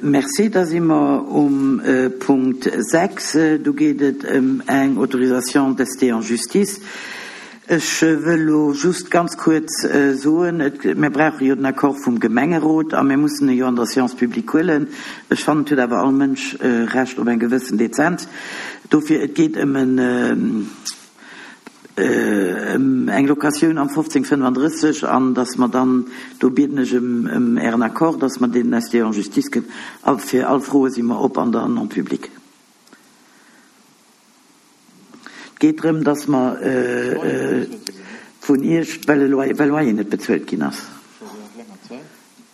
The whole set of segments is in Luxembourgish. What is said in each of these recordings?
Merci. Da si mer um Punkt 6. Do geet et ëm eng Autorisation d'ester en justice. Ech wëll elo just ganz kuerz soen, et, mir brauche jo den Accord vum Gemengerot a mir mussen e jo an der Séance publique huelen. Ech fannen, et huet awer all Mënsch Recht op eng gewëssen Dezenz. Dofir, et geet ëm en, ëm eng Locatioun am 1535 an dass mer dann, do bieden ech ëm, ëm Ären Accord, dass mer deen ST en justice gëtt. A fir all Froe si mer op an der non publique. Et geet drëm, dass mer vun Iech, well e Loyer, well Loyer net bezuelt ginn ass.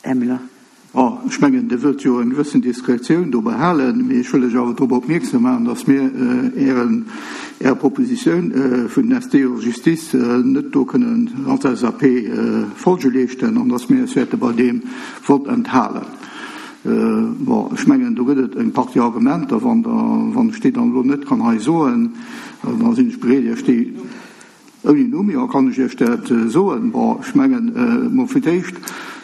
Här Müller. Bon, ech mengen, Dir wëllt jo eng gewëssen Diskretioun do behalen, mee ech wëll lech awer drop opmierksam maachen, dass mir Ären, Är Propositioun vun den ST en justice net do kënnen als LSAP Folge leeschten an dass mir eis wäerte bei deem Vott enthalen. Bon, ech mengen, do gëtt et eng Partie Argumenter. Wann Der, wann ech déi dann elo net kann hei soen, da sinn ech bereet, Iech déi ouni Numm, jo, kann ech Iech dat soen. Bon, ech mengen emol fir d'éischt,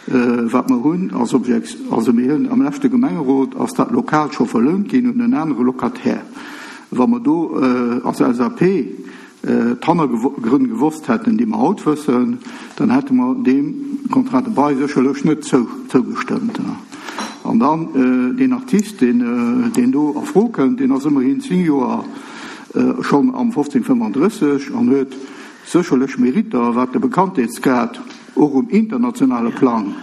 wat mer hunn als Objekt, also mir hunn am leschte Gemengerot ass dat Lokal scho verlount ginn un en anere Locataire. Wa mer do als LSAP d'Hannergrënn gewosst hätten, déi mer haut wëssen, dann hätte mer deem Contrat de bail sécherlech net zougestëmmt. An dann deen Artist, deen do a Fro kënnt, deen ass ëmmerhin 10 Joer schonn am 1535 an huet sécherlech Meritter, wat de Bekanntheetsgrad och um internationale Plang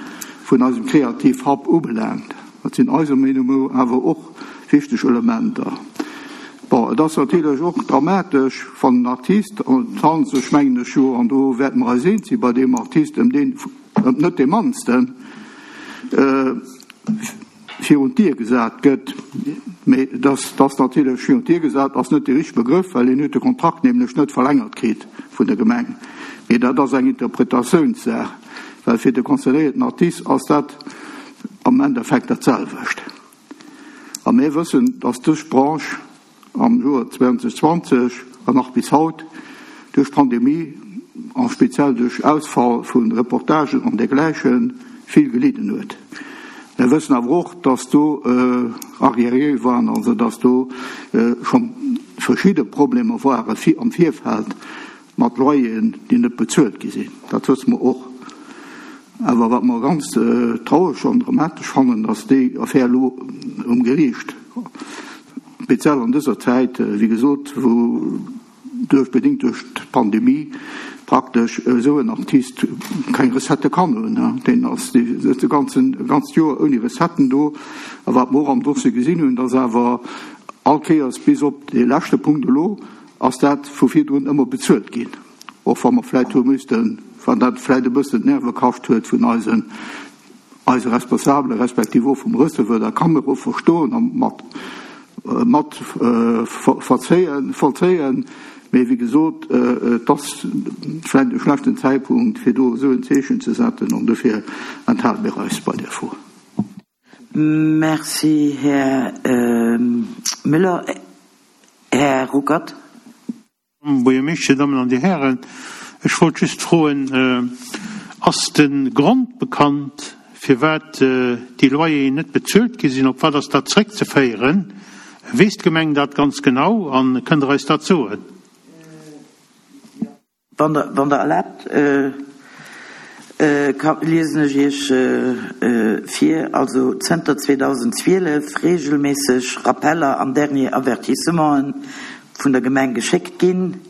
vun eisem Kreativ Hub ubelaangt. Dat sinn eiser Meenung no awer och wichteg Elementer. Bon, et ass natierlech och dramatesch, wann en Artist, an et handelt sech, mengen ech jo, an do wäerte mer eis eens sinn, bei deem Artist ëm deen, ëm net dee mannsten, virun d'Dier gesat gëtt. Mee dass dass natierlech virun d'Dier gesat ass net dee richtege Begrëff, well hien huet de Kontrakt nämlech net verlängert kritt vun der Gemeng. Mee dat ass eng Interpretatiounssaach, well fir de concernéierten Artist ass dat, am Endeffekt dat selwecht. A mir wëssen, dass dës Branche am Joer 2020 an nach bis haut duerch d'Pandemie a speziell duerch Ausfall vu Reportagen an dergläiche vill gelidden huet. Mir wëssen awer och, dass do Arriéré waren, also dass do scho verschidde Problemer ware am Virfeld mat Loyeren, déi net bezuelt gi sinn. Dat wësse mer och. Awer wat mer ganz traureg an dramatesch fannen, dass déi Affär elo um Geriicht, speziell an dëser Zäit, wéi gesot, wou duerch, bedéngt duerch d'Pandemie, praktesch esou en Artist keng Recettë kann hunn. Deen ass de ganzen, ganzt Joer ouni Recetten do. A wat mer och am Dossier gesinn hunn, dass awer all Kéiers bis op dee leschte Punkt elo ass dat vu virdrun ëmmer bezuelt ginn. Och wa mer vläit hu müssten, wann dat vläit e bëssen d'Nerve kascht huet vun eisen, eise Responsabelen, respektiv och vum Receveur, dat kann mer och verstoen a mat, mat verzéien, vollzéien. Mee wéi gesot, et ass vläit e schlechten Zäitpunkt, fir do esou en Zeechen ze setzen, an dofir enthale mir eis bei där Fro. Merci, Här Müller. Här Ruckert. Buergermeeschter, Dir Dammen an Dir Hären, ech wollt just froen, Ass de Grond bekannt, firwat déi Loyeren net bezuelt gi sinn? Op wat ass dat zréckzeféieren? Weess d'Gemeng dat ganz genau a kënnt Der eis dat soen? Wann Der, wann Der erlaabt, ka, liesen ech Iech vir, also zënter 2012 regelméisseg Rappeller an Dernier Avertissementen vun der Gemeng geschéckt ginn.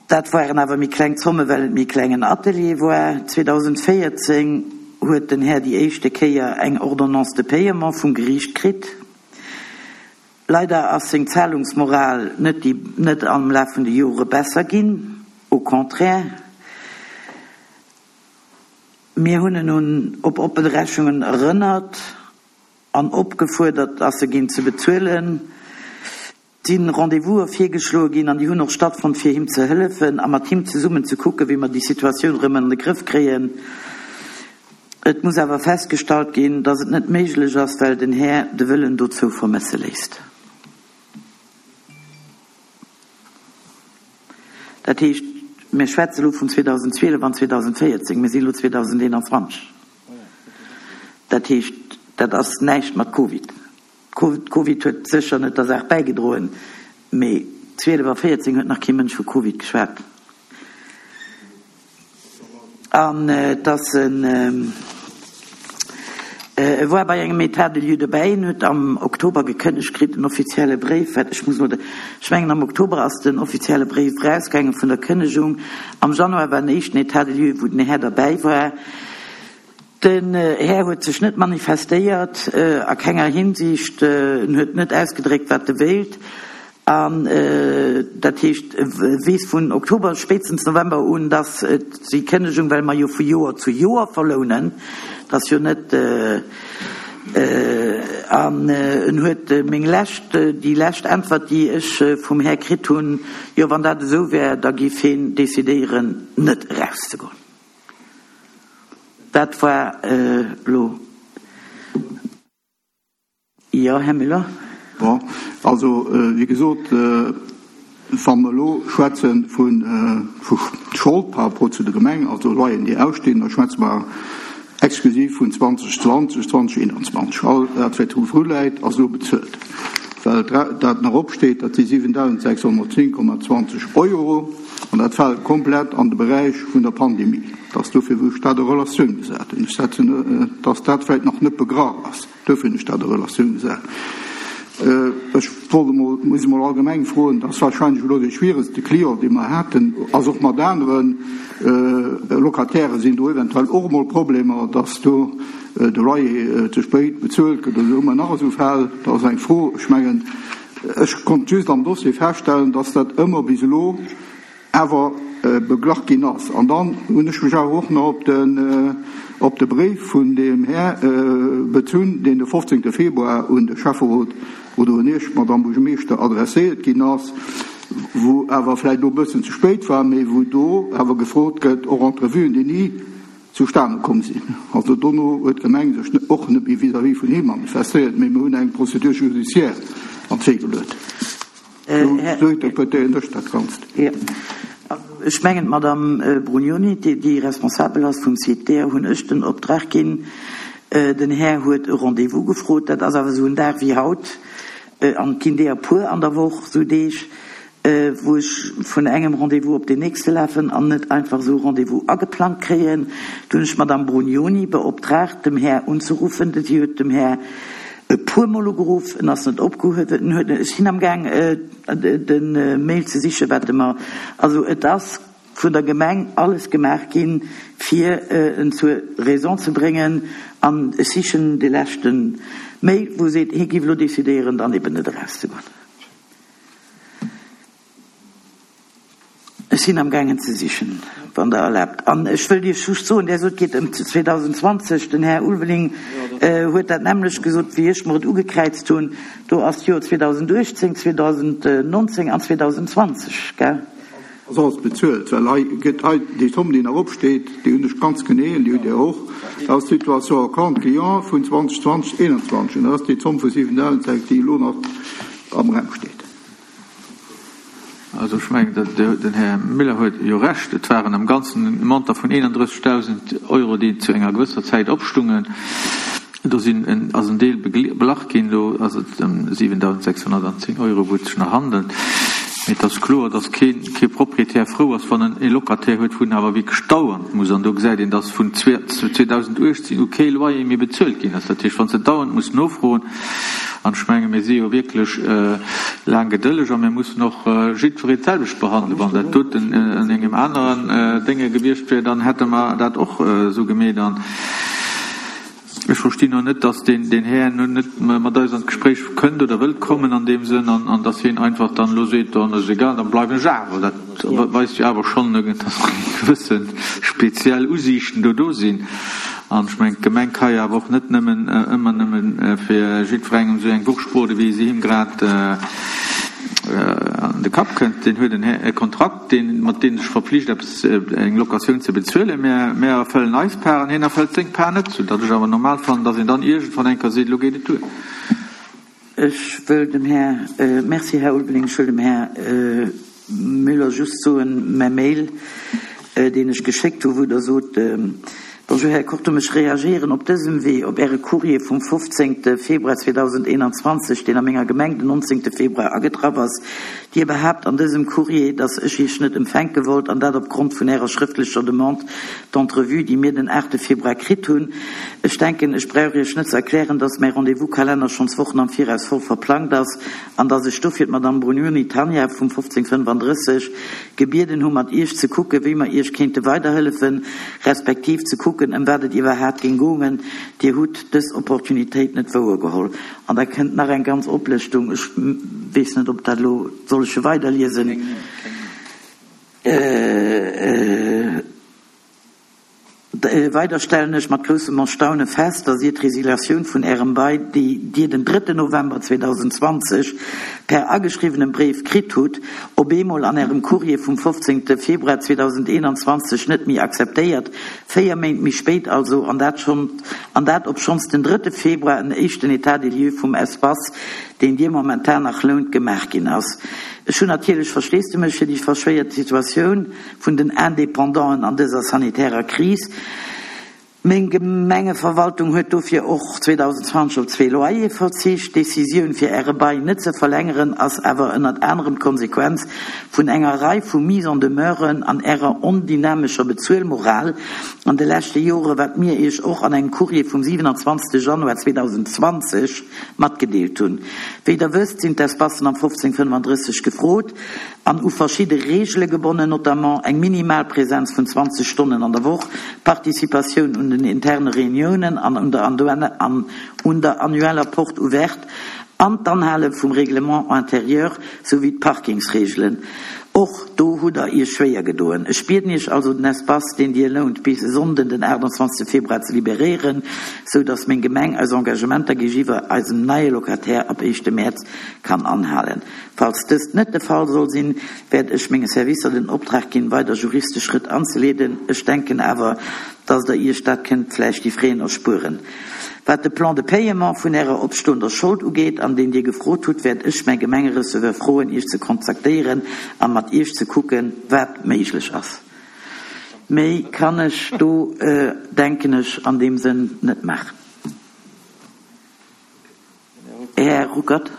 Dat waren awer méi kleng Zomme well et méi klengen Atelier war. 2014 huet den Här déi éischte Kéier eng Ordonnance de paiement vum Geriicht kritt. Leider ass seng Zahlungsmoral net déi net am Laf vun de Jore besser ginn, au contraire. Mir hunn en un op oppen Rechungen erënnert an opgefuerdert, dass se ginn ze bezuelen. Et sinn Rendez-vouse virgeschloe ginn an déi hunn och stattfonnt fir him ze hëllefen a mat him zesummen ze kucken, wéi mer déi Situatioun erëm an de Grëff kréien. Et muss awer festgestallt ginn, dass et net méiglech ass, well den Här de Wëllen dozou vermësse léisst. Dat heescht, mir schwätze elo vun 2012 an 2014, mir sinn elo 2021. Dat heescht, dat ass näischt mat Covid. Covid huet sécher net der Saach bäigedroen, mee 12 a 14 huet nach kee Mënsch vu Covid geschwat. An et ass en, e war bei engem État de lieu dobäi, en huet am Oktober gekënnegt kritt, en offizielle Bréif, wat ech muss elo, ech mengen am Oktober ass den offizielle Bréif erausgaange vun der Kënnegung, am Januar war den éischten État de lieu, wou den Här derbäi war. Den Här huet sech net manifestéiert, a kenger Hinsicht. En huet net ausgedréckt, wat e wéilt. An dat heescht, e weess vun Oktober, spéitstens November un, dass et déi Kënnegung, well mer jo vu Joer zu Joer verlounen, dat ass jo net, an en huet meng lescht, déi lescht Äntwert, déi ech vum Här kritt hunn, jo, wann dat esou wär, da géif heen decidéieren, net erauszegoen. Dat war elo. Jo, Här Müller. Bon, also, wéi gesot, wa mer elo schwätze vu Schold par rapport zu der Gemeng, also Loyeren, déi ausstinn, da schwätze mer exklusiv vun 2020, 2021. All dat, wat do vruläit, ass elo bezuelt. Well dat nach opsteet, dat si 7.610,20 Euro. An dat fält komplett an de Beräich vun der Pandemie. Et ass dofir, wou ech dat a Relatioun gesat hunn. Ech setzen, dass dat vläicht nach net begraff ass. Duerfir hunn ech dat a Relatioun gesat. Ech wollt emol, muss emol allgemeng froen, dat ass wahrscheinlech elo dee schwieregste Client, dee mer haten, ass och mat anere Locataire sinn do eventuell och emol Problemer, dass do de Loyer ze spéit bezuelt gëtt oder esou. Hu mer nach esou Fäll? Dat ass eng Fro. Ech mengen, Ech konnt just am Dossier feststellen, dass dat ëmmer bis elo awer beglach ginn ass. An dann hunn ech mech awer och nach op den, op de Bréif vun deem Här bezunn, deen de 15. Februar un de Schäfferot oder un Iech, Madamm Buergermeeschter, adresséiert ginn ass, wou awer vläicht elo e bëssen ze spéit war, mee wou do awer gefrot gëtt, och Entrevuen, déi ni zustane komm sinn. Also dono huet d'Gemeng sech och net méi vis-à-vis vun him manifestéiert, mee mir hunn eng Procédure judiciaire an d'Wee geluet. Esou interpretéieren ech dat Ganzt. Jo. Ech mengen, d'Madame Brugnoni, déi responsabel ass vum Site, deeër hunn ech den Optrag ginn. Den Här huet e Rendez-vous gefrot. Dat ass awer esou en Dag wéi haut, an et ginn deeër puer an der Woch esou Deeg, wou ech vun engem Rendez-vous op deen nächste lafen an net einfach esou e Rendez-vous ageplangt kréien. Du hunn ech d'Madame Brugnoni beoptraagt, dem Här unzeruffen. Si huet dem Här e puermol ugeruff, en ass net opgehuewen. En huet, ech sinn amgaang de Mail ze sichen, wat e mer, also et ass vun der Gemeng alles gemaach ginn, fir en zur Raison ze bréngen. An ech sichen de leschte Mail, wou e seet, hie géif elo decidéieren, dann eben net erauszegoen. Ech sinn am gaangen ze sichen, wann Der erlaabt. An ech wëllt Iech just soen, Der sot, et geet ëm 2020. Den Här Ulveling huet dat nämmlecht gesot, wéi ech mer et ugekräizt hunn. Do ass d'Joer 2018, 2019 an 2020, gell? Ass alles bezuelt, well hei gëtt hei déi Zomm, déi nach opsteet, déi hunn ech ganz genee an déi hutt Dir och, dat ass d'Situation à compte client vun 2020, 2021 an dat ass déi Zomm vu 7.000, déi elo nach am Raum steet. Also ech mengen, den Här Miller huet jo Recht, et waren am Ganzen e Montant vun 31.000 Euro, déi zu enger gewësser Zäit opstungen. Do sinn, ass en Deel beglach ginn, elo ass et ëm 7.610 Euro, wou et sech nach handelt. Mee et ass kloer, datt kee, kee Proprietär frou ass, wann en e Locataire huet, wou en awer wierklech dauernd muss, an do gesäit een, datt vun 2018 u kee Loyer méi bezuelt ginn ass. Dat heescht, wann s de dauernd muss nofroen, An ech menge mir si jo wierklech laang gedëlleg a mir mussen och jiddweree d'selwecht behandelen. Wann dat doten an engem aneren Dénge gewiescht wier, dann hätte mer dat och esou gemeet. An ech verstinn och net, datt deen Här nun net mat eis an d'Gespréich kënnt oder wëllt kommen an deem Sënn an datt hien einfach dann elo seet, dann ass egal, da bleiwen ech awer. Dat weist jo awer schonn, datt gewësse speziell Usiichten do do sinn. An ech mengen, d'Gemeng ka jo awer och net nëmmen, ëmmer nëmme fir jiddwerengem esou eng Wurscht brode wéi se him grad an de Kapp kënnt. Deen huet e Kontrakt, deen, mat deem e sech verpflicht, eppes, eng Locatioun ze bezuelen. Mä mär erfëllen eis Part an hien erfëllt seng Part net, soudatt ech awer normal fannen, datt een dann iergendwann eng Kéier seet, elo geet et duer. Ech wëll dem Här, Merci, Här Ulveling, ech wëll dem Här Müller just soen, mäi Mail, deen ech geschéckt hu wou Der sot, Bonjour Här Kortum, ech reagéieren op dësem Wee op Äre Courrier vum 15 Februar 2021, deen a menger Gemeng den 19 Februar agetraff ass. Dir behaapt an dësem Courrier, dass ech Iech net empfänke wollt, an dat opgrond vun Ärer schrëftlecher Demande d'entrevue, déi mir den 8 Februar kritt hunn. Ech denken, ech brauch Iech net ze erklären, dass mäi Rendez-vous-Kalenner schonns Wochen am Viraus voll verplangt ass an dass ech dofir d'Madame Brugnoni Tanja vum 1535 gebieden hu mat Iech ze kucken, wéi mer Iech kéinte weiderhëllefen, respektiv ze kucken, ëm wat et iwwerhaapt géing goungen. Dir hutt dës Opportunitéit net wouergeholl. An da kënnt nach eng ganz Oplëschtung, ech weess net, ob dat elo, soll ech se weiderliesen? Weider stellen ech mat groussem Erstaune fest, dass Dir d'Resiliatioun vun Ärem Bail, déi Dir den drëtten November 2020 per ageschriwwenem Bréif kritt hutt, op eemol an Ärem Courrier vum 15. Februar 2021 net méi akzeptéiert, véier Méint méi spéit also, an dat schonn, an dat obschonns den drëtte Februar en éischten État des lieux vum Espace, deen Dir momentan nach lount, gemaach ginn ass. Ech hunn natierlech Versteesdemech fir déi verschwéiert Situatioun. vun den Independanten an dëser sanitärer Kris. Meng Gemengeverwaltung huet dofir och 2020 op zwee Loyere verzicht. D'Decisioun fir Äre Bail net ze verlängeren ass awer ënnert anerem d'Konsequenz vun enger Rei vu Mises en demeuren an Ärer ondynamescher Bezuelmoral an de leschte Jore, wat mir Iech och an engem Courrier vum 27 Januar 2020 matgedeelt hunn. Wéi Der wësst, sinn d'Espacen am 1535 gefrot. an u verschidde Reegele gebonnen, notamment eng minimal Präsenz vun 20 Stonnen an der Woch, Participatioun un den interne Reuniounen an un der annueller Porte ouverte an d'Anhale vum Règlement intérieur souwéi d'Parkingsreegelen. Och do hutt Der Iech schwéier gedoen. Ech bieden Iech also, den Espace, deen Dir lount, bis e Sonnden, den 28 Februar ze liberéieren, sou dass meng Gemeng eis Engagementer géigiwwer eisem neie Locataire ab éischte Mäerz kann anhalen. Falls dëst net de Fall soll sinn, wäert ech menge Servicer den Optrag ginn, weider juristesch Schrëtt anzeleeden. Ech denken awer, dass Der Iech dat kënnt vläicht déi Fräen erspueren. Wat de Plan de paiement vun Ärer opstoender Schold ugeet, an deen Dir gefrot hutt, wäert ech mäi Gemengereceveur froen, Iech ze kontaktéieren a mat Iech ze kucken, wat méiglech ass. Méi kann ech do, denken ech, an deem Sënn net maachen. Här Ruckert.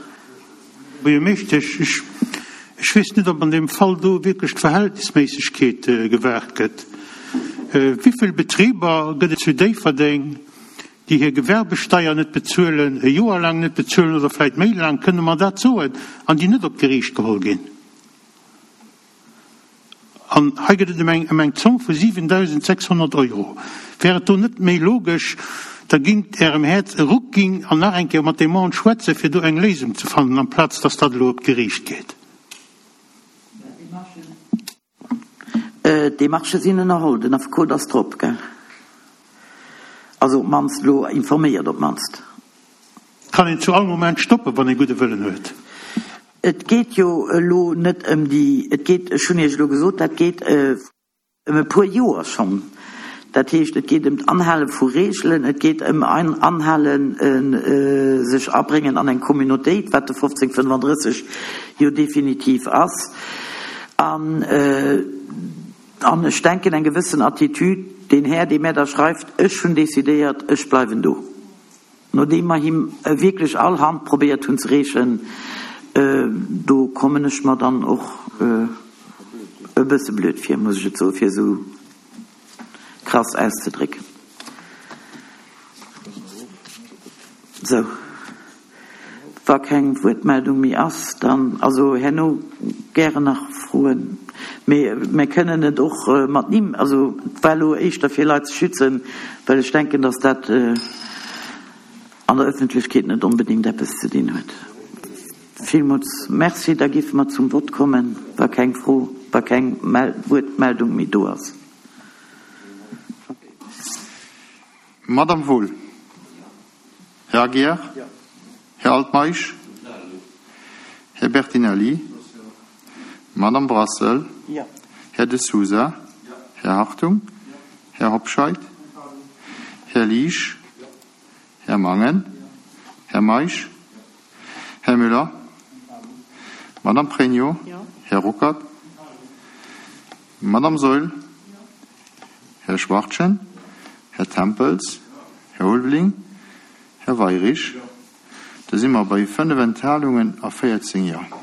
Buergermeeschtesch, ech, ech weess net, ob an deem Fall do wierklech d'Verhältnisméissegkeet gewahrt gëtt. Wivill Betriber gëtt et zu Déifferdeng, déi hir Gewerbesteier net bezuelen, e Joer laang net bezuelen oder vläicht méi laang, kënne mer dat soen, an déi net op d'Geriicht geholl ginn? An hei gëtt et ëm eng, ëm eng Zomm vu 7.600 Euro. Wär et do net méi logesch, Der gingt Ärem Häerz e Ruck ginn an nach eng Kéier mat deem Mann schwätzen, fir do eng Léisung ze fannen, amplaz dass dat elo op d'Geriicht geet? D'Demarchë sinn ënnerholl, den Affekot ass drop, gell? Also op d'mannst elo informéiert, op d'mannst. Kann een zu all Moment stoppen, wann ee gudde Wëllen huet. Et geet jo elo net ëm déi, et geet, ech hunn Iech elo gesot, dat geet ëm e puer Joer schonn. Dat heescht, et geet ëm d'Anhale vu Reegelen, et geet ëm Anhalen, sech abréngen an eng Communautéit, wat de 1535 jo definitiv ass. An, an ech denken, eng gewëssen Attitude, deen Här, dee mär da schreift, ech hunn decidéiert, ech bleiwen do. Nodeem mer him wierklech all Hand probéiert hunn ze reechen, do kommen ech mer dann och e bësse blöd vir, muss ech et soen, fir esou krass auszedrécken. Sou, wa keng Wuertmeldung méi ass, dann, also herno gären nach Froen, mee mir kënnen et och mat Nimm, also et war elo éischter fir Leit ze schützen, well ech denken, dass dat an der Öffentlechkeet net onbedéngt eppes ze dinn huet. Villmools Merci. Da géife mer zum Vott kommen, wa keng Fro, wa keng Wuertmeldung méi do ass. Madame Wohl. Här Aguiar? Här Altmeisch? Här Bertinelli? Madame Brassel? Här De Sousa? Här Hartung? Här Hobscheit? Här Liesch? Här Mangen? Här Meisch? Här Müller? Madame Pregno? Här Ruckert? Madame Saeul? Här Schwachtgen? Här Tempels, Här Ulveling, Här Weirich. Da si mer bei 5 Enthalungen a 14 Jo.